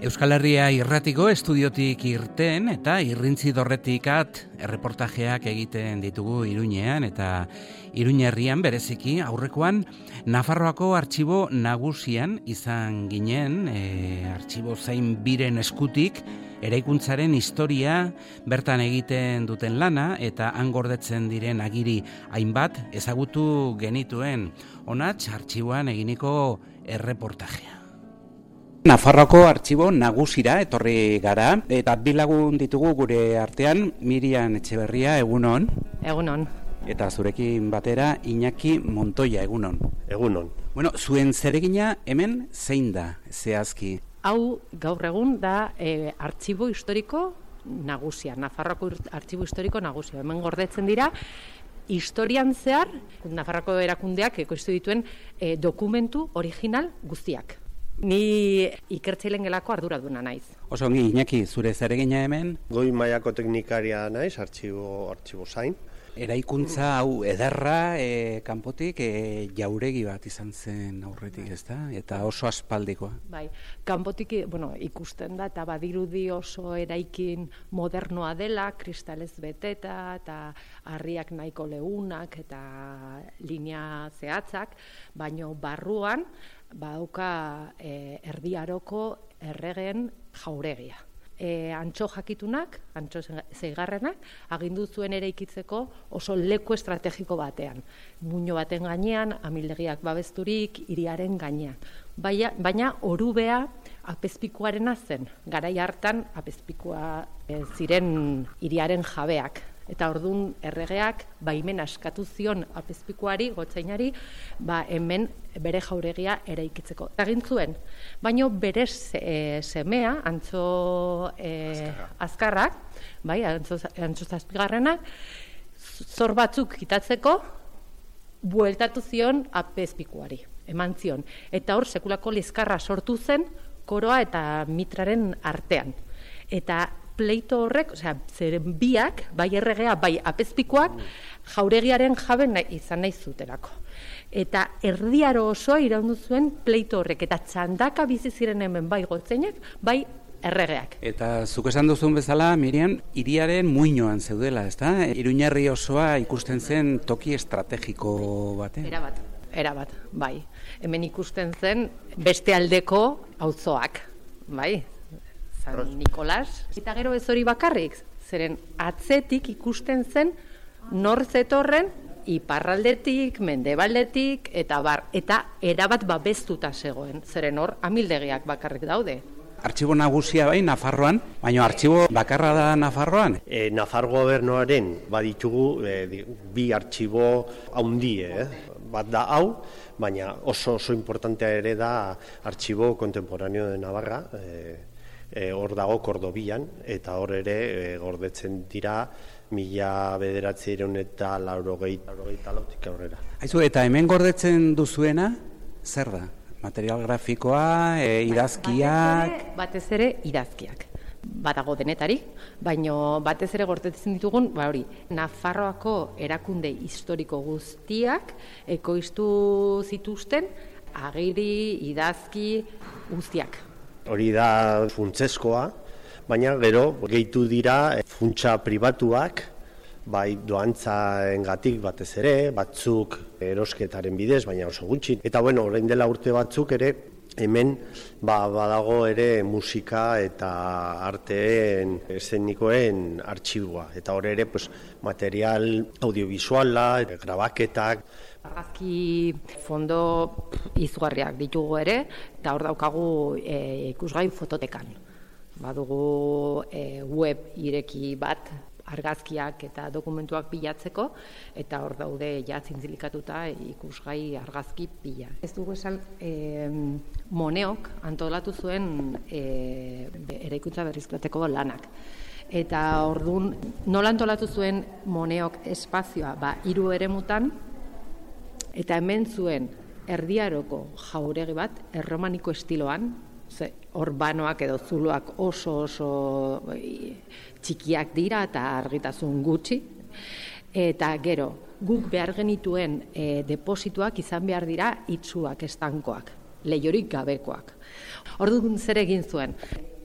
Euskal Herria irratiko estudiotik irten eta irrintzi dorretikat erreportajeak egiten ditugu Iruñean eta Iruñerrian bereziki aurrekoan Nafarroako artxibo nagusian izan ginen, artxibo zain biren eskutik eraikuntzaren historia bertan egiten duten lana eta han gordetzen diren agiri hainbat ezagutu genituen honatz artxiboan eginiko erreportajea. Nafarroako artxibo nagusira etorri gara eta bi lagun ditugu gure artean, Miriam Etxeberria, egunon. Egunon. Eta zurekin batera Iñaki Montoya, egunon. Egunon. Bueno, zuen zeregina hemen zein da zehazki? Hau gaur egun da artxibo historiko nagusia, Nafarroako artxibo historiko nagusia. Hemen gordetzen dira historian zehar Nafarroako erakundeak ekoiztu dituen dokumentu original guztiak. Ni ikertzaileen gelako arduraduna naiz. Oso ongi, Iñaki, zure zeregina hemen? Goi mailako teknikaria naiz, artxibo zain. Eraikuntza hau ederra kanpotik jauregi bat izan zen aurretik, ezta? Eta oso aspaldikoa. Bai, kanpotik ikusten da eta badirudi oso eraikin modernoa dela, kristalez beteta eta harriak nahiko leunak eta linea zehatzak, baino barruan badauka Erdi Aroko erregeen jauregia. Antxo jakitunak, antxo zeigarrenak, agindu zuen eraikitzeko oso leku estrategiko batean. Muino baten gainean, amildegiak babesturik, hiriaren gainean. Baina orubea apezpikuarena zen. Garai hartan apezpikua ziren hiriaren jabeak. Eta ordun erregeak baimena eskatu zion apezpikuari, gotzainari, hemen bere jauregia eraikitzeko. Egin zuen, baino bere semea, Antxo Azkarrak, Antxo Zazpigarrenak, zor batzuk kitatzeko, bueltatu zion apezpikuari, eman zion. Eta hor sekulako liskarra sortu zen koroa eta mitraren artean. Eta pleito horrek, zeren biak, bai erregea, bai apezpikoak, jauregiaren jabe izan nahi zutelako. Eta Erdi Aro osoa iraundu zuen pleito horrek, eta txandaka bizi ziren hemen bai gotzainak, bai erregeak. Eta zuk esan duzun bezala, Miriam, hiriaren muinoan zeudela, ezta? Iruñerri osoa ikusten zen toki estrategiko batean. Erabat, bai. Hemen ikusten zen beste aldeko auzoak, bai. San Nikolas. Eta gero ez hori bakarrik, zeren atzetik ikusten zen nor zetorren iparraldetik, mendebaldetik, eta erabat babestuta zegoen, zeren hor amildegiak bakarrik daude. Artxibo nagusia bai Nafarroan, baina artxibo bakarra da Nafarroan? Nafar gobernuaren baditugu bi artxibo haundie, bat da hau, baina oso importantea ere da artxibo kontemporaneo de Navarra, hor dago Kordobian, eta hor ere gordetzen dira 1980 eta 84 aurrera. Aizu, eta hemen gordetzen duzuena, zer da? Material grafikoa, idazkiak? Batez ere idazkiak. Badago denetari, baino batez ere gordetzen ditugun, hori, Nafarroako erakunde historiko guztiak ekoiztu zituzten agiri, idazki guztiak. Hori da funtseskoa, baina gero gehitu dira funtsa pribatuak, bai doantzaengatik batez ere, batzuk erosketaren bidez, baina oso gutxi. Eta orain dela urte batzuk ere, hemen badago ere musika eta arteen eszenikoen artxiboa. Eta hor ere material audiovisuala, grabaketak. Argazki fondo izugarriak ditugu ere, eta hor daukagu ikusgai fototekan. Badugu web ireki bat argazkiak eta dokumentuak bilatzeko, eta hor daude zintzilikatuta ikusgai argazki pila. Ez dugu esan, Moneok antolatu zuen eraikuntza berrizklateko lanak. Eta ordun nola antolatu zuen Moneok espazioa, 3 eremutan, eta hemen zuen Erdi Aroko jauregi bat, erromaniko estiloan, urbanoak edo zuloak oso txikiak dira eta argitasun gutxi. Eta gero, guk behar genituen deposituak izan behar dira itsuak, estankoak, lehiorik gabekoak. Orduan zer egin zuen?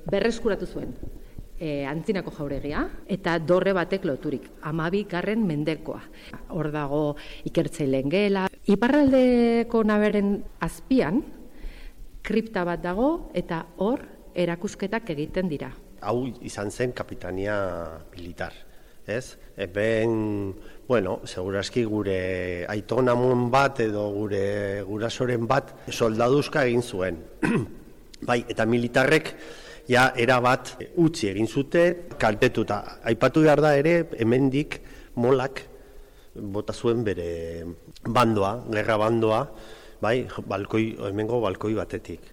berreskuratu zuen Antzinako jauregia eta dorre batek loturik, 12. mendekoa. Hor dago ikertzaileen gela. Iparraldeko naberen azpian, kripta bat dago eta hor erakusketak egiten dira. Hau izan zen kapitania militar, ez? Eben, bueno, seguraski gure aitonamon bat edo gure gurasoren bat soldaduzka egin zuen. Bai, eta militarrek ja erabat utzi egin zute, kaltetuta. Aipatu behar da ere, hemendik molak bota zuen bere bandoa, gerra bandoa, bai, hemengo balkoi batetik.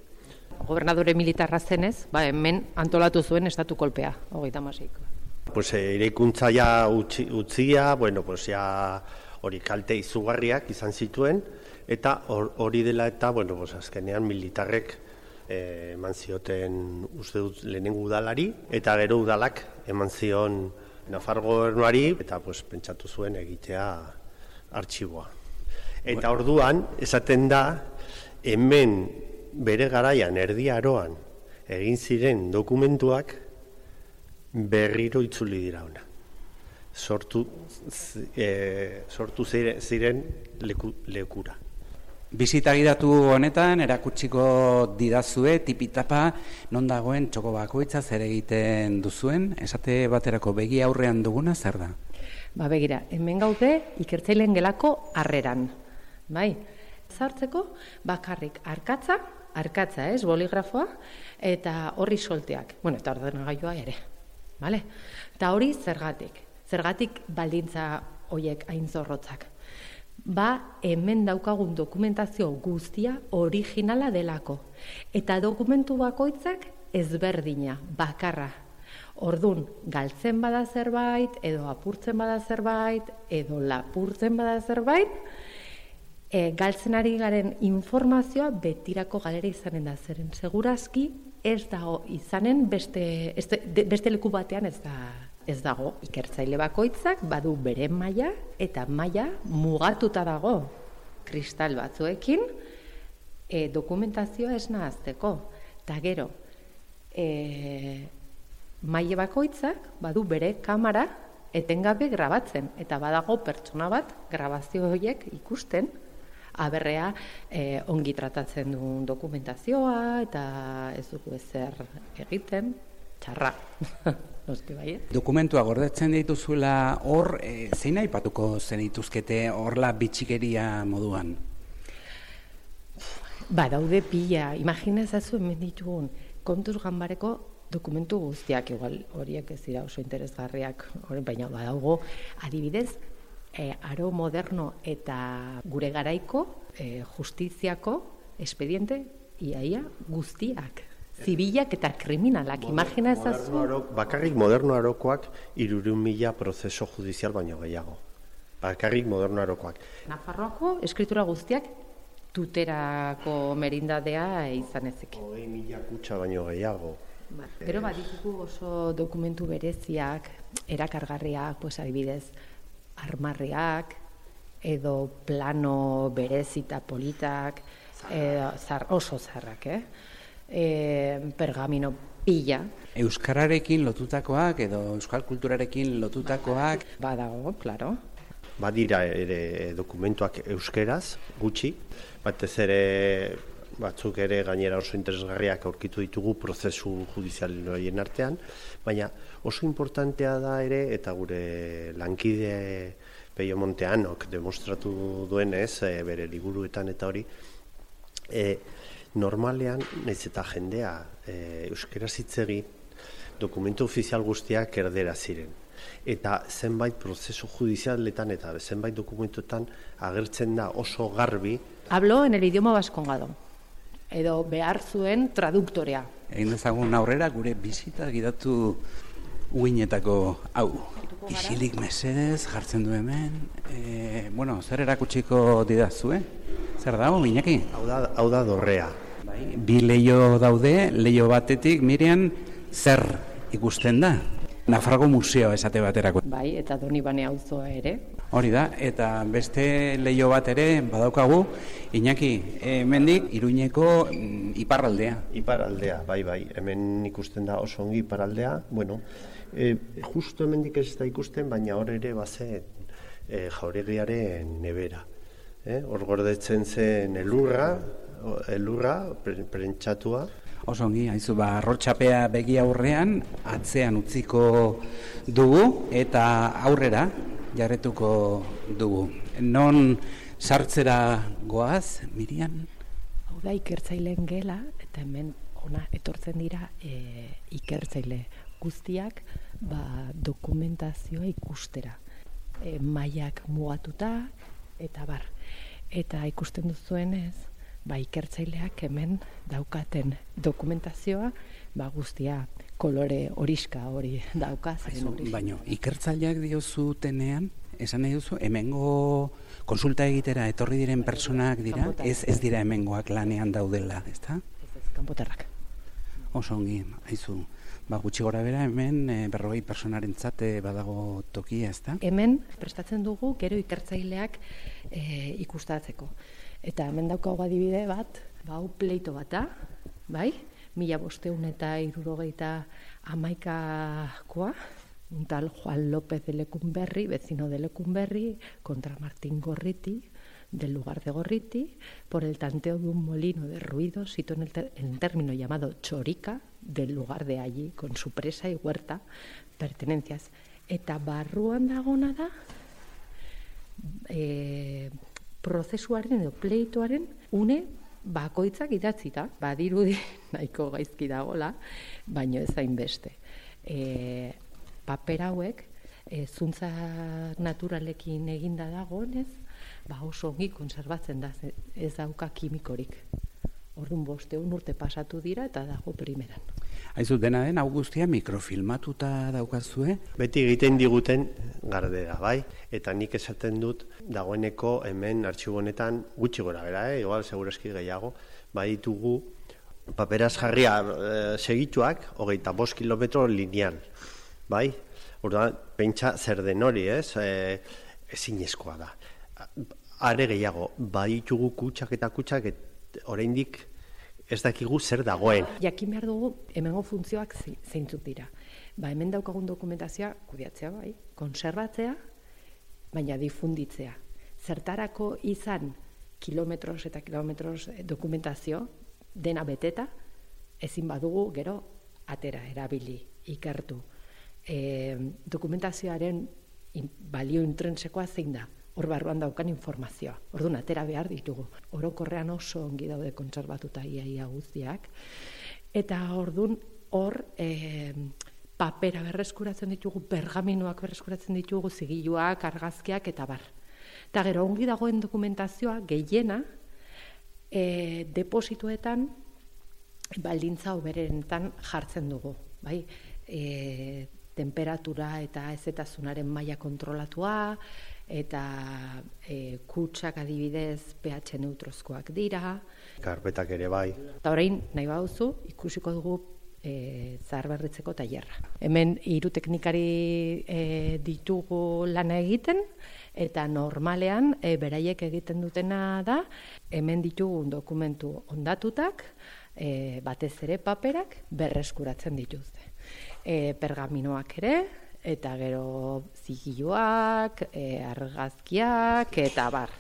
Gobernadore militarra zenez, hemen antolatu zuen estatu kolpea, 36. Pues eraikuntza ja utzia, bueno, pues ja hori kalte izugarriak izan zituen, eta hori dela eta, bueno, pues azkenean militarrek eman zioten uste dut lehenengo udalari, eta gero udalak eman zion Nafar gobernuari, eta pues pentsatu zuen egitea artxiboa. Eta orduan, esaten da, hemen bere garaian Erdi Aroan egin ziren dokumentuak berriro itzuli dira ona. Sortu ziren lekura. Bizita gidatu honetan erakutsiko didazue tipitapa non dagoen txoko bakoitza zer egiten duzuen, esate baterako begi aurrean duguna zer da? Begira, hemen gaude ikertzaileen gelako harreran, bai? Zartzeko bakarrik arkatza ez, boligrafoa, eta horri solteak, bueno, eta ordenagailua ere, bale? Eta hori zergatik baldintza horiek hain zorrotzak. Hemen daukagun dokumentazio guztia originala delako. Eta dokumentu bakoitzak ezberdina, bakarra. Ordun galtzen bada zerbait, edo apurtzen bada zerbait, edo lapurtzen bada zerbait, galtzen ari garen informazioa betirako galera izanen da. Zeren segurazki ez dago izanen beste leku batean ez dago. Ikertzaile bakoitzak badu bere maila eta maila mugatuta dago kristal batzuekin dokumentazioa ez nahazteko. Eta gero, maila bakoitzak badu bere kamera etengabe grabatzen. Eta badago pertsona bat grabazio horiek ikusten, aberrea ongi tratatzen duen dokumentazioa eta ez dugu ezer egiten, txarra. Dokumentua gordetzen dituzuela hor, zein aipatuko zenituzkete horla bitxikeria moduan? Daude pila, imaginazazu hemen ditugun kontuz ganbareko dokumentu guztiak, igual horiek ez dira oso interesgarriak, baina badaugo adibidez, aro moderno eta gure garaiko justiziako espediente iaia guztiak. Zibilak eta kriminalak, imagina ezazu. Bakarrik moderno arokoak 300.000 prozeso judizial baino gehiago. Bakarrik moderno arokoak. Nafarroako eskritura guztiak tuterako merindadea izan ezek. 20.000 kutxa baino gehiago. Gero baditugu oso dokumentu bereziak, erakargarriak, adibidez, armarriak, edo plano berezita politak, oso zarrak, pergamino pila. Euskararekin lotutakoak edo euskal kulturarekin lotutakoak? Badago, klaro. Badira ere dokumentuak euskeraz, gutxi, batez ere batzuk ere gainera oso interesgarriak aurkitu ditugu prozesu judizialen horien artean, baina oso importantea da ere, eta gure lankide Peio Monteanok demostratu duenez, bere liburuetan eta hori, normalean, nahiz eta jendea euskaraz hitz egin, dokumentu ofizial guztiak erdera ziren. Eta zenbait prozesu judizialetan eta zenbait dokumentuetan agertzen da oso garbi. Hablo en el idioma vascongado, edo behar zuen traduktorea. Egin dezagun aurrera gure bizita gidatu uinetako hau. Isilik mesedez jartzen du hemen. Zer erakutsiko didazue? Zer dago, Iñaki? Hau da dorrea. Bi leio daude, leio batetik, Miriam, zer ikusten da? Nafarroako museo esate baterako. Eta Donibane auzoa ere. Hori da, eta beste leio bat ere badaukagu, Iñaki, hemendik Iruñeko iparraldea. Iparraldea, bai, hemen ikusten da oso ongi iparraldea, bueno, justo hemendik ez da ikusten, baina hor ere bazen jauregiaren nebera. Hor gordetzen zen elurra, prentsatua. Oso ongi, haizu, arrotxapea begi aurrean, atzean utziko dugu eta aurrera jarretuko dugu. Non sartzera goaz, Miriam? Hau da ikertzaileen gela, eta hemen ona etortzen dira ikertzaile guztiak dokumentazioa ikustera. Mailak mugatuta, eta bar. Eta ikusten duzuenez, ikertzaileak hemen daukaten dokumentazioa, guztia kolore horiska hori dauka. Baina, ikertzaileak diozutenean, esan nahi duzu, hemengo konsulta egitera etorri diren personak dira, ez dira hemengoak lanean daudela, ezta? Ez, kanpotarrak. Oso ongi, haizu, gutxi gora bera hemen 40 personarentzat badago tokia, ezta? Hemen prestatzen dugu gero ikertzaileak ikustatzeko. Eta hemen daukagu adibide bat, hau pleito bata, bai? 1571koa, un tal Juan López de Lecumberri, vecino de Lecumberri, contra Martín Gorriti, del lugar de Gorriti, por el tanteo de un molino de ruido, sito en el término llamado Chorica, del lugar de allí, con su presa y huerta, pertenencias. Eta barruan dagona da, prozesuaren edo pleitoaren une bakoitzak idatzita, badirudi nahiko gaizki dagola, baino ez hainbeste. Paper hauek, zuntza naturalekin eginda dagoenez, oso ongi konserbatzen da, ez dauka kimikorik. Orduan 500 urte pasatu dira eta dago primeran. Haizu, dena den, hau guztia mikrofilmatuta daukazue? Beti egiten diguten gardera, bai? Eta nik esaten dut, dagoeneko hemen artxibonetan gutxi gora bera, igual, segureski gehiago, ditugu paperaz jarria segituak, 25 kilometro lineal, bai? Orduan, pentsa zer den hori, ezinezkoa da. Are gehiago, baditugu kutsak eta oraindik ez dakigu zer dagoen. Jakin behar dugu, hemengo funtzioak zeintzuk dira. Hemen daukagun dokumentazioa kudeatzea, bai, konserbatzea, baina difunditzea. Zertarako izan kilometros eta kilometros dokumentazio, dena beteta, ezin badugu gero atera, erabili, ikertu. Dokumentazioaren balio intrinsekoa zein da? Hor barruan daukan informazioa. Orduan, atera behar ditugu. Orokorrean oso ongi daude kontserbatuta ia guztiak. Eta orduan, hor papera berreskuratzen ditugu, pergaminoak berreskuratzen ditugu, zigiluak, argazkiak eta bar. Eta gero, ongi dagoen dokumentazioa gehiena deposituetan baldintza hoberenetan jartzen dugu. Bai? Temperatura eta ezetasunaren maila kontrolatua, eta kutsak adibidez pH neutrozkoak dira. Karpetak ere bai. Eta orain, nahi baduzu, ikusiko dugu zaharberritzeko tailerra. Hemen 3 teknikari ditugu lana egiten, eta normalean beraiek egiten dutena da, hemen ditugun dokumentu ondatutak, batez ere paperak berreskuratzen dituzte. Pergaminoak ere, eta gero zigiluak, argazkiak, eta bar.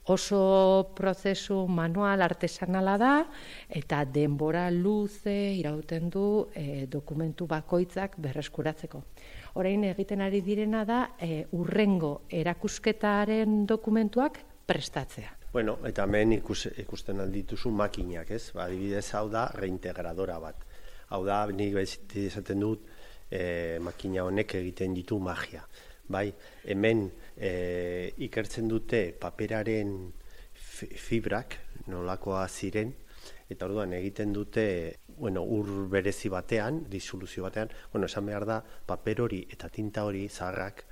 Oso prozesu manual artesanala da, eta denbora luze irauten du dokumentu bakoitzak berreskuratzeko. Orain egiten ari direna da, hurrengo erakusketaren dokumentuak prestatzea. Bueno, eta hemen ikusten aldituzu makinak, ez? Adibidez, hau da reintegradora bat. Hau da, nik esaten dut, makina honek egiten ditu magia. Bai, hemen ikertzen dute paperaren fibrak, nolakoa ziren, eta orduan egiten dute, ur berezi batean, disoluzio batean, esan behar da, paper hori eta tinta hori zaharrak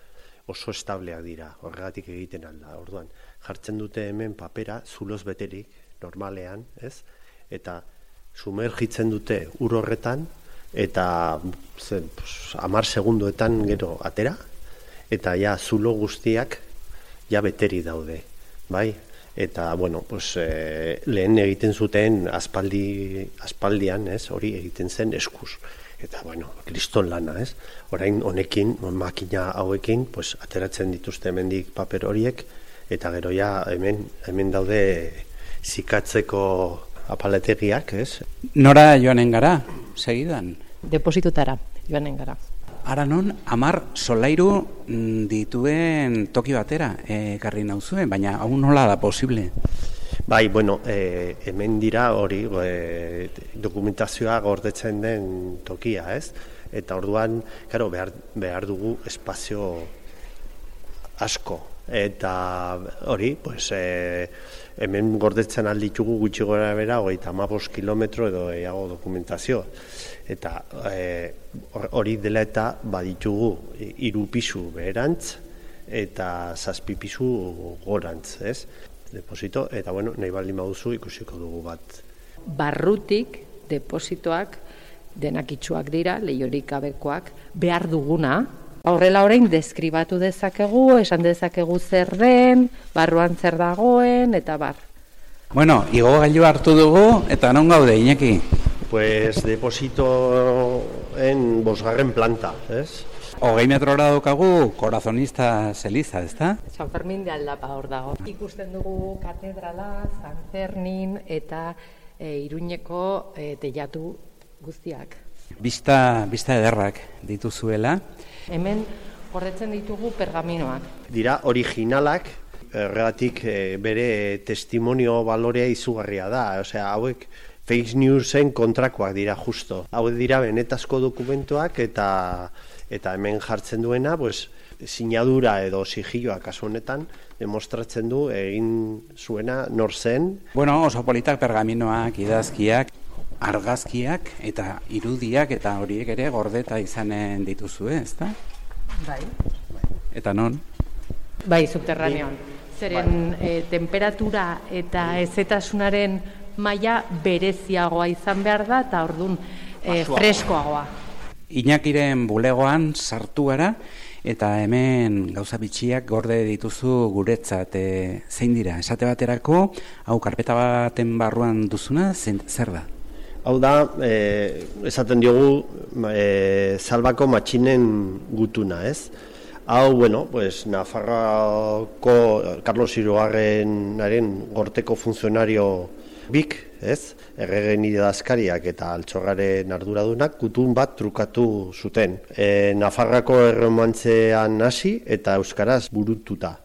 oso estableak dira, horregatik egiten alda. Orduan, jartzen dute hemen papera, zuloz beterik, normalean, ez? Eta sumergitzen dute ur horretan, eta 10 segundoetan gero atera, eta ja zulo guztiak ja beteri daude, bai? Eta, bueno, pues, lehen egiten zuten aspaldian, ez, hori egiten zen eskuz. Eta, bueno, kriston lana, ez? Orain honekin, makina hauekin, pues, ateratzen dituzte hemendik paper horiek, eta gero ja hemen daude zikatzeko apalategiak, ez? Nora joanen gara, segidan? Depositutara joanen gara. Ara non, 10 solairu dituen toki batera ekarri nauzuen, baina hau nola da posible? Bai, bueno, hemen dira hori dokumentazioa gordetzen den tokia, ez? Eta orduan, claro, behar dugu espazio asko. Eta hori, pues, hemen gordetzen alditugu gutxi gora bera, 35 kilometro edo eago dokumentazio. Eta hori dela eta baditugu 3 pisu beherantz eta 7 pisu gorantz, ez? Deposito, eta bueno, nahi baldin baduzu ikusiko dugu bat. Barrutik depositoak denak itxuak dira, lehiorik gabekoak, behar duguna. Horrela orain deskribatu dezakegu, esan dezakegu zer den, barruan zer dagoen, eta bar. Bueno, igogailu hartu dugu, eta non gaude, Iñaki? Pues depositoen 5. planta, ez? 20 metrora daukagu Corazonista Eliza, ezta? San Fermin de Aldapa hor dago. Ikusten dugu katedrala, San Fermin eta Iruñeko teilatu guztiak. Bista ederrak dituzuela. Hemen horretzen ditugu pergaminoak. Dira originalak, erratik bere testimonio balorea izugarria da. Osea, hauek fake newsen kontrakoak dira justo. Hauek dira benetazko dokumentuak eta hemen jartzen duena, pues, sinadura edo sigiloa kasu honetan demostratzen du egin zuena nor zen. Bueno, oso politak pergaminoak, idazkiak, argazkiak eta irudiak eta horiek ere gordeta izanen dituzue, ezta? Bai. Eta non? Bai, subterranean. Zeren temperatura eta ezetasunaren maila bereziagoa izan behar da eta ordun freskoagoa. Iñakiren bulegoan sartu gara eta hemen gauza bitxiak gorde dituzu guretzat. Zein dira? Esate baterako, hau karpeta baten barruan duzuna, zer da? Hau da, esaten diogu Salvako matxinen gutuna, ez? Hau, bueno, pues, Nafarroako Carlos Hirugarrenaren gorteko funtzionario bik, ez? Erregen idazkariak eta altxorraren arduradunak gutun bat trukatu zuten. Nafarroako erromantzean hasi eta euskaraz burututa.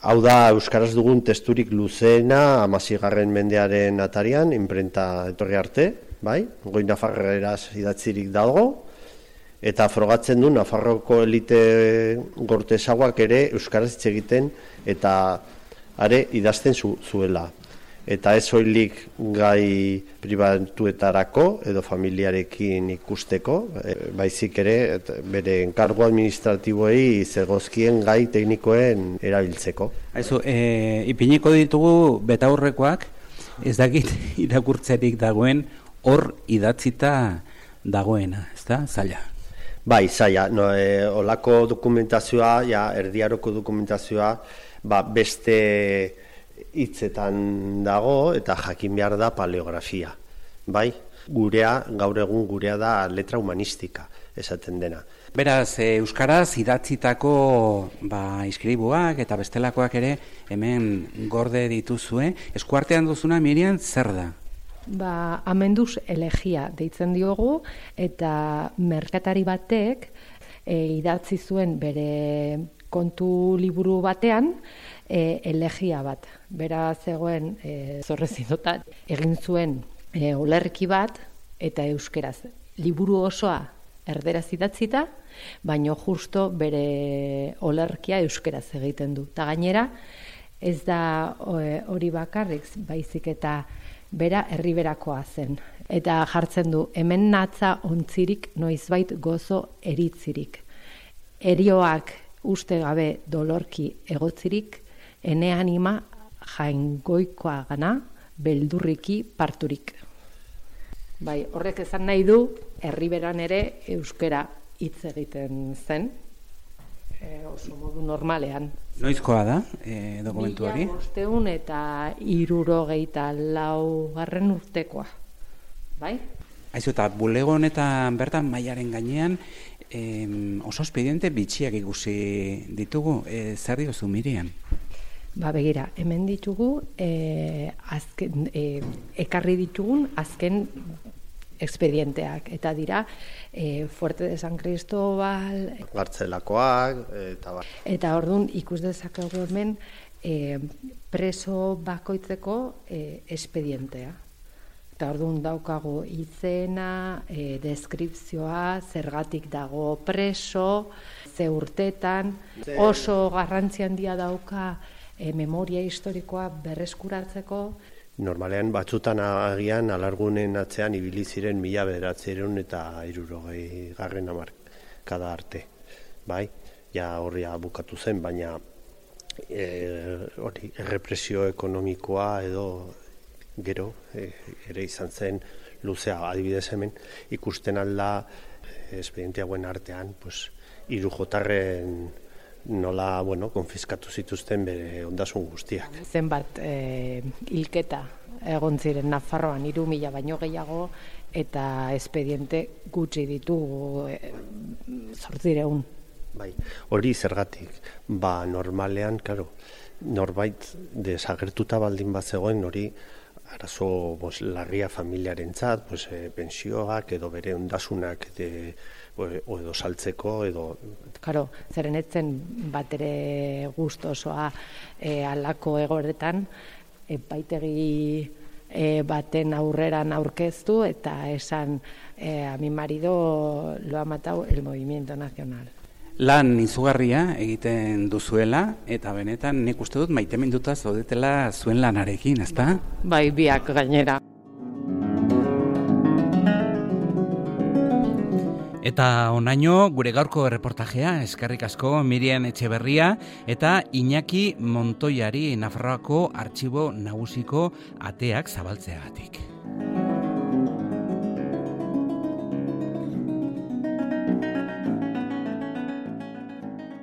Hau da, euskaraz dugun testurik luzeena 16. mendearen atarian, inprenta etorri arte, bai? Goi nafarreraz idatzirik dago, eta frogatzen du Nafarroko elite gortesagoak ere euskaraz hitz egiten eta are idazten zuela. Eta ez soilik gai pribatuetarako edo familiarekin ikusteko, baizik ere bere enkargo administratiboei zegozkien gai teknikoen erabiltzeko. Aizu, ipiniko ditugu betaurrekoak, ez dakit irakurtzerik dagoen hor idatzita dagoena, ezta? Zaila. Bai, zaila. No, olako dokumentazioa, ja, erdiaroko dokumentazioa, beste hitzetan dago eta jakin behar da paleografia. Bai, gaur egun gurea da letra humanistika, esaten dena. Beraz, euskaraz idatzitako iskribuak eta bestelakoak ere hemen gorde dituzue. Eskuartean duzuna, Miriam, zer da? Amenduz elegia deitzen diogu eta merkatari batek idatzi zuen bere kontu liburu batean elegia bat. Bera zegoen zorrezindotat egin zuen olerki bat eta euskeraz. Liburu osoa erderaz idatzita, baino justo bere olerkia euskeraz egiten du. Ta gainera, ez da hori bakarrik, baizik eta bera herriberakoa zen. Eta jartzen du, hemen natza ontzirik noizbait gozo eritzirik. Erioak uste gabe dolorki egotzirik, ene anima jaingoikoa gana, beldurriki parturik. Bai, horrek esan nahi du, herriberan ere euskera hitz egiten zen. oso modu normalean. Noizkoa da dokumentu hori? 1574 urtekoa, bai? Aizu, eta bulego honetan bertan mailaren gainean oso espediente bitxiak ikusi ditugu, zer diozu Miriam? Begira, hemen ditugu ekarri ditugun azken expedienteak, eta dira Fuerte de San Cristóbal, Gartzelakoak, eta orduan ikus dezakegu hemen preso bakoitzeko expedientea. Eta orduan daukagu izena, deskripzioa, zergatik dago preso, ze urtetan, oso garrantzi handia dauka memoria historikoa berreskuratzeko. Normalean batzutan agian alargunen atzean ibili ziren 1960 hamarkada arte. Bai, ja horria bukatu zen, baina hori errepresio ekonomikoa edo gero ere izan zen luzea. Adibidez hemen ikusten alda espediente hauen artean, pues, 3 jotarren nola, konfiskatu zituzten bere ondasun guztiak. Zenbat hilketa egon ziren Nafarroan 3.000 baino gehiago, eta expediente gutxi ditugu 800. Bai, hori zergatik, normalean, norbait desagertuta baldin bat zegoen, hori arazo larria familiarentzat, pensioak edo bere ondasunak edo saltzeko edo... Zeren etzen bat ere gustosoa halako egoretan, epaitegi baten aurreran aurkeztu eta esan a mi marido lo ha matado el movimiento nacional. Lan izugarria egiten duzuela, eta benetan nik uste dut maiteminduta zaudetela zuen lanarekin, ezta? Bai, biak gainera. Eta onaino gure gaurko erreportajea, eskerrik asko Miriam Etxeberria eta Iñaki Montoiari Nafarroako Artxibo Nagusiko ateak zabaltzeagatik.